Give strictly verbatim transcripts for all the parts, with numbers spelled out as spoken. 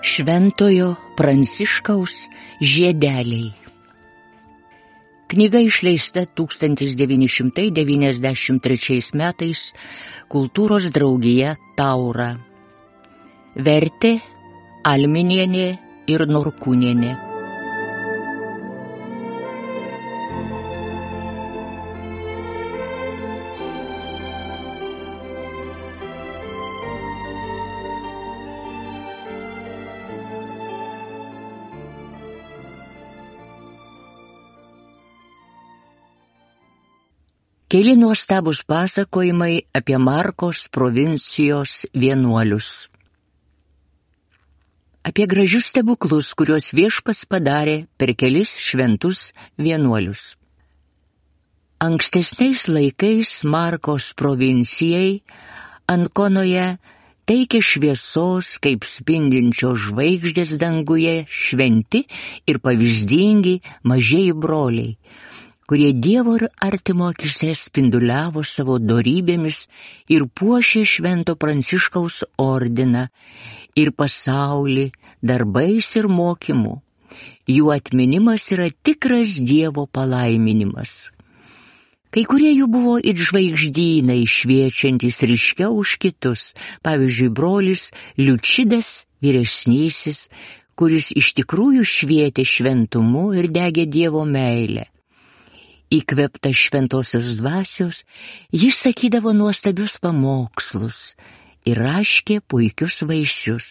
Šventojo Pranciškaus žiedeliai. Knyga išleista tūkstantis devyni šimtai devyniasdešimt trečiais metais Kultūros draugija Taura. Vertė Alminienė ir Norkūnienė. Keli nuostabūs pasakojimai apie Markos provincijos vienuolius. Apie gražius stebuklus, kuriuos Viešpats padarė per kelis šventus vienuolius. Ankstesniais laikais Markos provincijai Ankonoje teikė šviesos kaip spindinčios žvaigždės danguje šventi ir pavyzdingi mažieji broliai, kurie Dievo ir artimo akyse spinduliavo savo dorybėmis ir puošė Švento Pranciškaus ordiną ir pasaulį darbais ir mokymu. Jų atminimas yra tikras Dievo palaiminimas. Kai kurie jų buvo it žvaigždynai, šviečiantys ryškiau už kitus, pavyzdžiui, brolis Liučidas vyresnysis, kuris iš tikrųjų švietė šventumu ir degė Dievo meilę. Įkvėptas šventosios dvasios, jis sakydavo nuostabius pamokslus ir raškė puikius vaisius.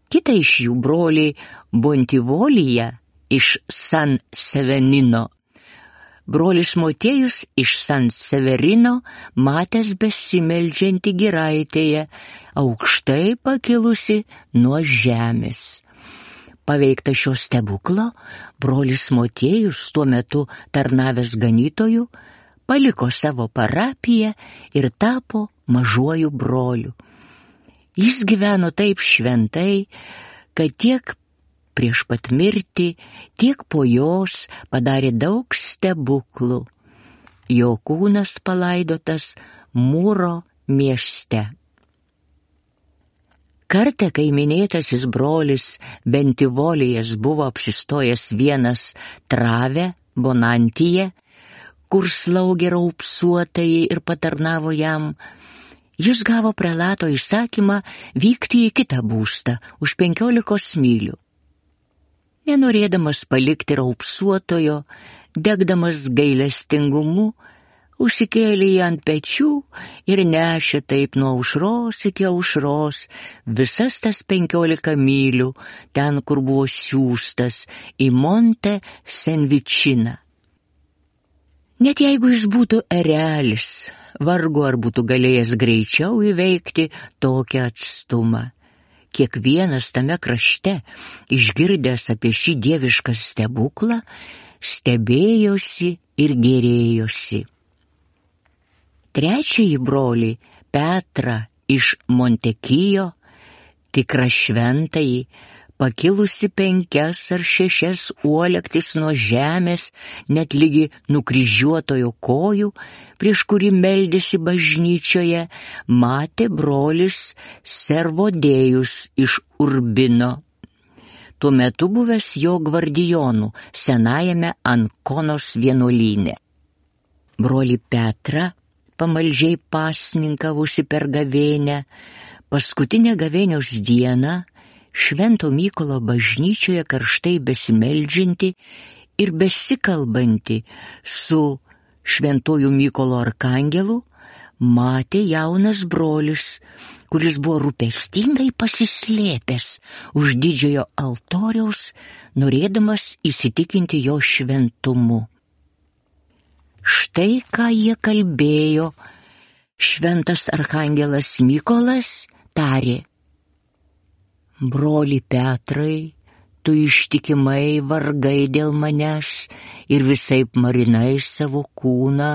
Kita iš jų broliai Bontivolija iš San Severino. Brolis Motiejus iš San Severino matęs besimeldžiantį giraitėje, aukštai pakilusi nuo žemės. Paveiktas šio stebuklo, brolis Motiejus, tuo metu tarnavęs ganytoju, paliko savo parapiją ir tapo mažuoju broliu. Jis gyveno taip šventai, kad tiek prieš pat mirtį, tiek po jos padarė daug stebuklų. Jo kūnas palaidotas Mūro mieste. Kartą, kai minėtasis brolis Bentivolijas buvo apsistojęs vienas Trave, Bonantyje, kur slaugė raupsuotajai ir patarnavo jam, jis gavo prelato įsakymą vykti į kitą būstą už penkiolikos mylių. Nenorėdamas palikti raupsuotojo, degdamas gailestingumu, užsikėlė jį ant pečių ir nešė taip nuo aušros iki aušros visas tas penkiolika mylių, ten, kur buvo siųstas, į Monte Senvičiną. Net jeigu jis būtų erelis, vargu ar būtų galėjęs greičiau įveikti tokią atstumą. Kiekvienas tame krašte, išgirdęs apie šį dievišką stebuklą, stebėjosi ir gėrėjosi. Trečiąjį brolį Petrą iš Montekijo, tikrą šventąjį, pakilusi penkias ar šešias uolektis nuo žemės, net lygi nukryžiuotojo kojų, prieš kurį meldėsi bažnyčioje, matė brolis Servodėjus iš Urbino, tuo metu buvęs jo gvardijonų senajame Ankonos vienuolyne. Brolį Petrą, pamaldžiai pasninkavusi per gavėnią, paskutinę gavėnios dieną, Švento Mykolo bažnyčioje karštai besimeldžianti ir besikalbanti su Šventuoju Mykolo arkangelu, matė jaunas brolis, kuris buvo rūpestingai pasislėpęs už didžiojo altoriaus, norėdamas įsitikinti jo šventumu. Štai ką jie kalbėjo, šventas arkangelas Mykolas tarė: Broli Petrai, tu ištikimai vargai dėl manęs ir visaip marinai savo kūną,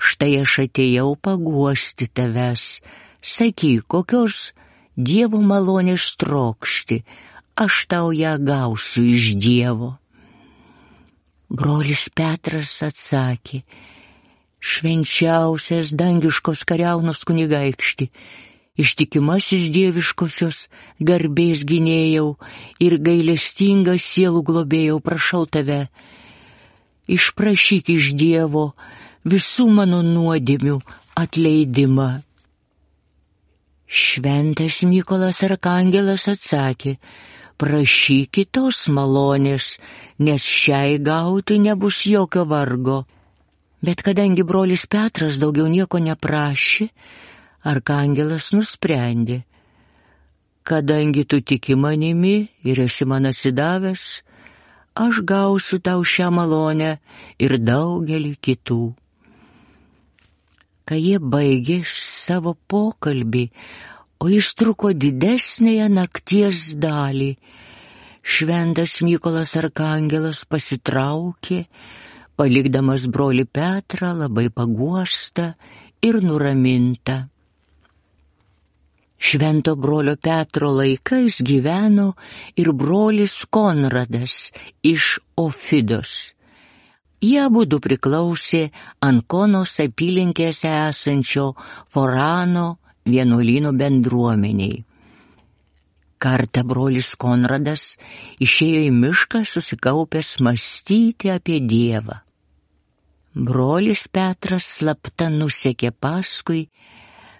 štai aš atėjau paguosti tavęs. Sakyk, kokios Dievo malonės trokšti, aš tau ją gausiu iš Dievo. Brolis Petras atsakė: Švenčiausias dangiškos kariaunos kunigaikšti, ištikimasis dieviškosios garbės gynėjau ir gailestingas sielų globėjau, prašau tave, išprašyk iš Dievo visų mano nuodėmių atleidimą. Šventas Mykolas arkangelas atsakė, prašykit tos malonės, nes šiai gauti nebus jokio vargo. Bet kadangi brolis Petras daugiau nieko neprašė, arkangelas nusprendė, kadangi tu tiki manimi ir esi man atsidavęs, aš gausiu tau šią malonę ir daugelį kitų. Kai jie baigė savo pokalbį, o jis truko didesnėje nakties dalį, šventas Mykolas arkangelas pasitraukė, palikdamas brolį Petrą labai paguostą ir nuramintą. Švento brolio Petro laikais gyveno ir brolis Konradas iš Ofidos. Jie abudu priklausė Ankonos apylinkėse esančio Forano vienuolyno bendruomeniai. Kartą brolis Konradas išėjo į mišką susikaupęs mąstyti apie Dievą. Brolis Petras slapta nusekė paskui,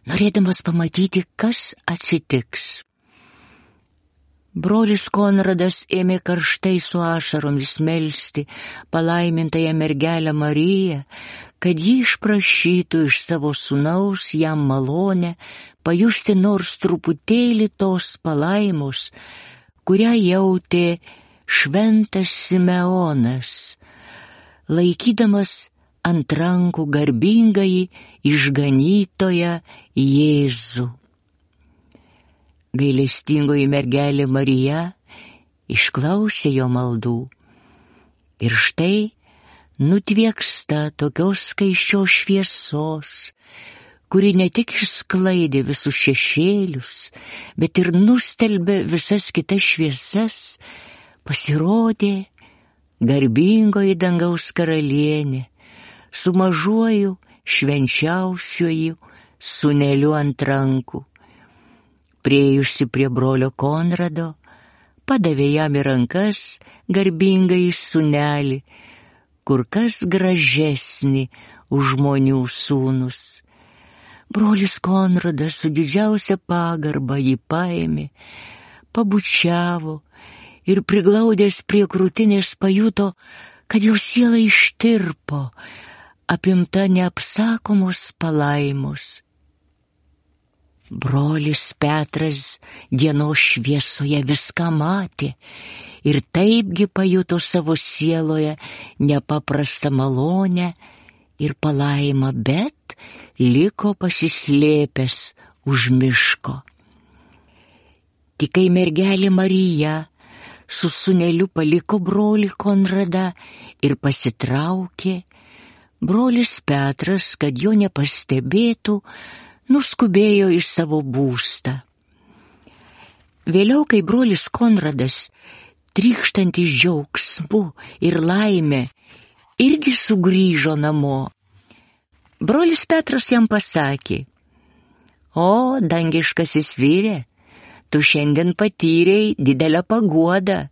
norėdamas pamatyti, kas atsitiks. Brolis Konradas ėmė karštai su ašaromis melsti palaimintąją mergelę Mariją, kad ji išprašytų iš savo sūnaus jam malonę pajusti nors truputėlį tos palaimos, kurią jautė šventas Simeonas, laikydamas ant rankų garbingąjį išganytoją Jėzų. Gailestingoji mergelė Marija išklausė jo maldų ir štai nutvieksta tokios skaisčios šviesos, kuri ne tik išsklaidė visus šešėlius, bet ir nustelbė visas kitas šviesas, pasirodė garbingoji dangaus karalienė su mažuoju švenčiausiuoju sūneliu ant rankų. Priejusi prie brolio Konrado, padavė jam į rankas garbingąjį sūnelį, kur kas gražesnį už žmonių sūnus. Brolis Konradas su didžiausia pagarba jį paėmė, pabučiavo ir priglaudęs prie krūtinės pajuto, kad jo siela ištirpo, apimta neapsakomos palaimos. Brolis Petras dienos šviesoje viską matė ir taipgi pajuto savo sieloje nepaprastą malonę ir palaimą, bet liko pasislėpęs už miško. Tik kai mergelė Marija su sūneliu paliko brolį Konradą ir pasitraukė, brolis Petras, kad jo nepastebėtų, nuskubėjo į savo būstą. Vėliau, kai brolis Konradas, trykštantis džiaugsmu ir laime, irgi sugrįžo namo, brolis Petras jam pasakė, o, dangiškasis vyre, tu šiandien patyrei didelę paguodą.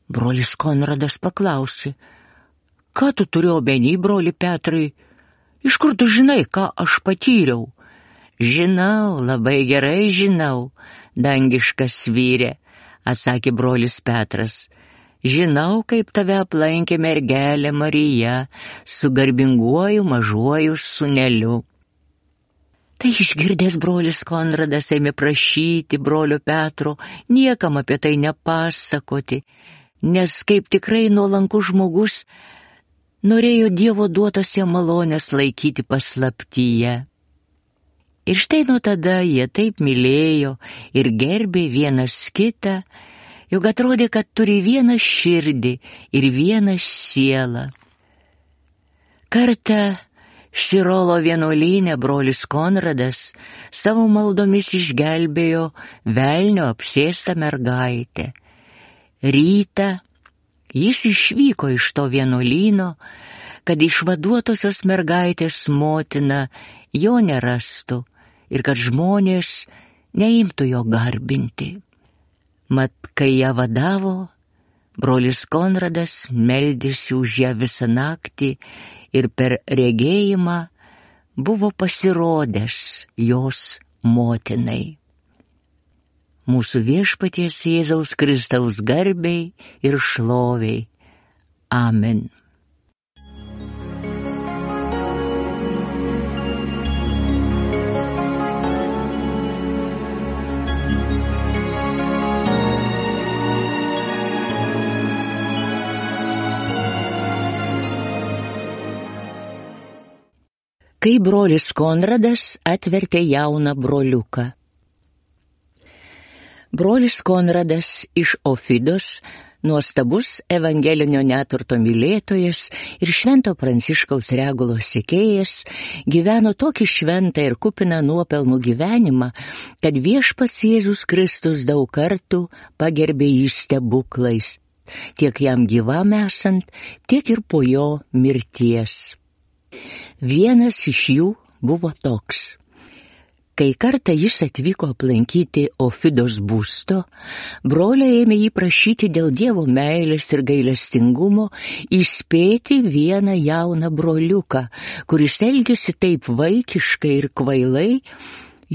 Brolis Konradas paklausė, ką tu turi omeny, broli Petrai, iš kur tu žinai, ką aš patyriau? Žinau, labai gerai žinau, dangiškas vyre, atsakė brolis Petras. Žinau, kaip tave aplankė mergelė Marija su garbinguoju mažuoju sūneliu. Tai išgirdęs brolis Konradas ėmė prašyti brolio Petro niekam apie tai nepasakoti, nes kaip tikrai nuolankus žmogus norėjo Dievo duotas jam malonės laikyti paslaptyje. Ir štai nuo tada jie taip mylėjo ir gerbė vienas kitą, jog atrodė, kad turi vieną širdį ir vieną sielą. Kartą Širolo vienuolyne brolis Konradas savo maldomis išgelbėjo velnio apsėstą mergaitę. Rytą jis išvyko iš to vienuolyno, kad išvaduotosios mergaitės motina jo nerastų ir kad žmonės neimtų jo garbinti. Mat, kai ją vadavo, brolis Konradas meldėsi už ją visą naktį ir per regėjimą buvo pasirodęs jos motinai. Mūsų Viešpaties Jėzaus Kristaus garbei ir šloviai. Amen. Kai brolis Konradas atvertė jauną broliuką. Brolis Konradas iš Ofidos, nuostabus evangelinio neturto mylėtojas ir Švento Pranciškaus Regulos sekėjas, gyveno tokį šventą ir kupiną nuopelnų gyvenimą, kad Viešpats Jėzus Kristus daug kartų pagerbė jį stebuklais, tiek jam gyvam esant, tiek ir po jo mirties. Vienas iš jų buvo toks. Kai kartą jis atvyko aplankyti Ofidos būsto, broliai ėmė jį prašyti dėl Dievo meilės ir gailestingumo įspėti vieną jauną broliuką, kuris elgėsi taip vaikiškai ir kvailai,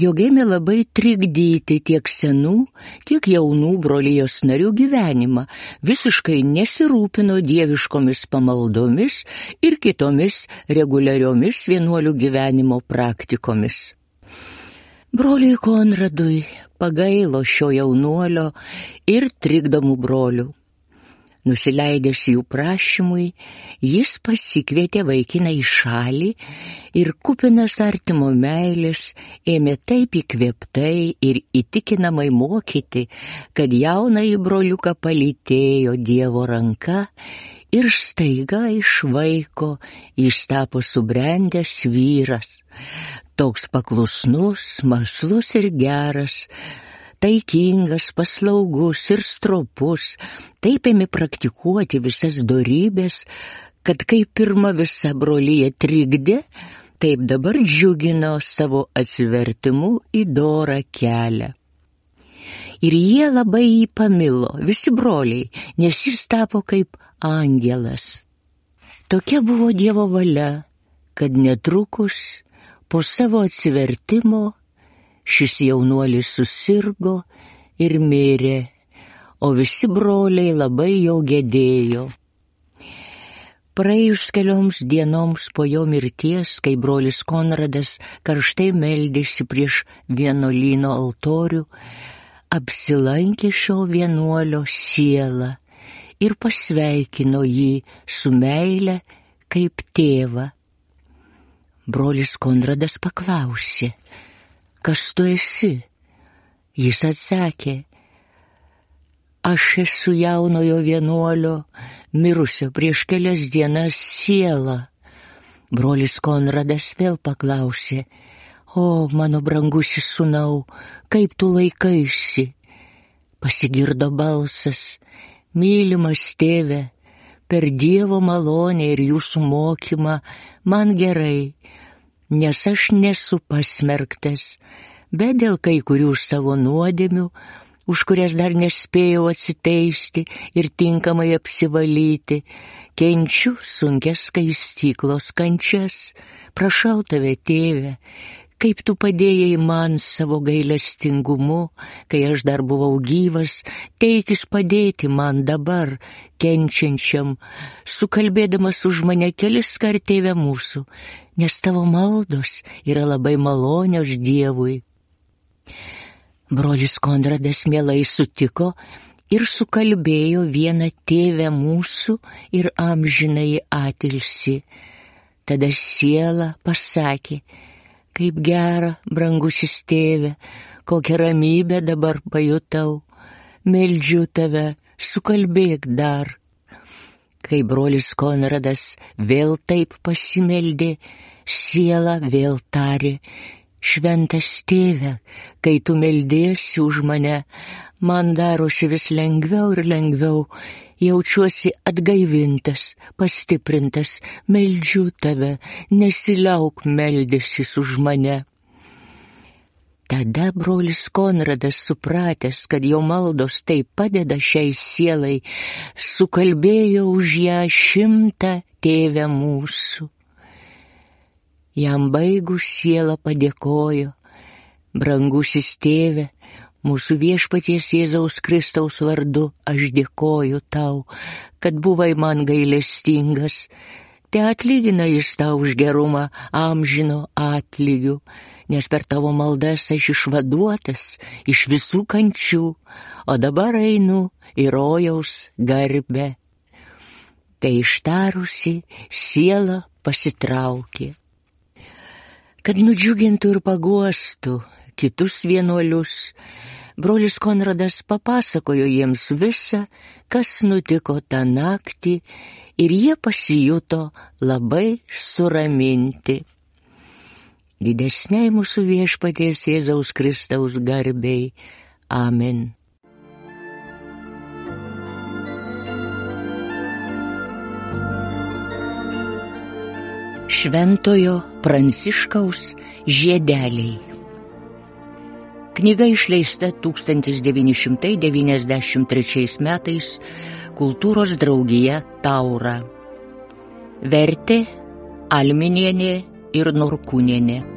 jog ėmė labai trikdyti tiek senų, tiek jaunų brolijos narių gyvenimą, visiškai nesirūpino dieviškomis pamaldomis ir kitomis reguliariomis vienuolių gyvenimo praktikomis. Broliui Konradui pagailo šio jaunuolio ir trikdomų brolių. Nusileidęs jų prašymui, jis pasikvietė vaikiną į šalį ir kupinas artimo meilės ėmė taip įkvėptai ir įtikinamai mokyti, kad jaunąjį broliuką palytėjo Dievo ranka ir staiga iš vaiko jis tapo subrendęs vyras, toks paklusnus, mąslus ir geras, taikingas, paslaugus ir stropus, taip ėmė praktikuoti visas dorybės, kad kai pirma visa brolija trikdė, taip dabar džiugino savo atsivertimu į dorą kelią. Ir jie labai jį pamilo, visi broliai, nes jis tapo kaip angelas. Tokia buvo Dievo valia, kad netrukus po savo atsivertimo šis jaunuolis susirgo ir mirė, o visi broliai labai jau gedėjo. Praėjus kelioms dienoms po jo mirties, kai brolis Konradas karštai meldėsi prieš vienuolyno altorių, apsilankė šio vienuolio siela ir pasveikino jį su meile kaip tėvą. Brolis Konradas paklausė, kas tu esi? Jis atsakė, aš esu jaunojo vienuolio, mirusio prieš kelias dienas siela. Brolis Konradas vėl paklausė, o mano brangusis sūnau, kaip tu laikaisi? Pasigirdo balsas, mylimas tėve, per Dievo malonę ir jūsų mokymą man gerai, nes aš nesu pasmerktas, bet dėl kai kurių savo nuodėmių, už kurias dar nespėjau atsiteisti ir tinkamai apsivalyti, kenčiu sunkias skaistyklos kančias. Prašau tave, tėve, kaip tu padėjai man savo gailestingumu, kai aš dar buvau gyvas, teikis padėti man dabar, kenčiančiam, sukalbėdamas už mane kelis kart, tėve mūsų, nes tavo maldos yra labai malonios Dievui. Brolis Konradas mielai sutiko ir sukalbėjo vieną tėvę mūsų ir amžinąjį atilsį. Tada siela pasakė, kaip gera, brangusis tėve, kokią ramybę dabar pajutau, meldžiu tave, sukalbėk dar. Kai brolis Konradas vėl taip pasimeldė, siela vėl tarė, šventas tėve, kai tu meldėsi už mane, Man darosi vis lengviau ir lengviau, jaučiuosi atgaivintas, pastiprintas, meldžiu tave, nesiliauk meldysis už mane. Tada brolis Konradas, supratęs, kad jo maldos taip padeda šiai sielai, sukalbėjo už ją šimtą Tėve mūsų. Jam baigus siela padėkojo: brangusis Tėve, mūsų Viešpaties Jėzaus Kristaus vardu aš dėkoju tau, kad buvai man gailestingas. Te atlygina jis tau už gerumą amžino atlygiu, nes per tavo maldas aš išvaduotas iš visų kančių, o dabar einu į rojaus garbę. Tai ištarusi, siela pasitraukė. Kad nudžiugintų ir paguostų kitus vienuolius, brolis Konradas papasakojo jiems visą, kas nutiko tą naktį, ir jie pasijuto labai suraminti. Didesniai mūsų Viešpaties Jėzaus Kristaus garbei. Amen. Šventojo Pranciškaus žiedeliai. Knyga išleista tūkstantis devyni šimtai devyniasdešimt trečiais metais Kultūros draugija Taura. Vertė Alminienė ir Norkūnienė.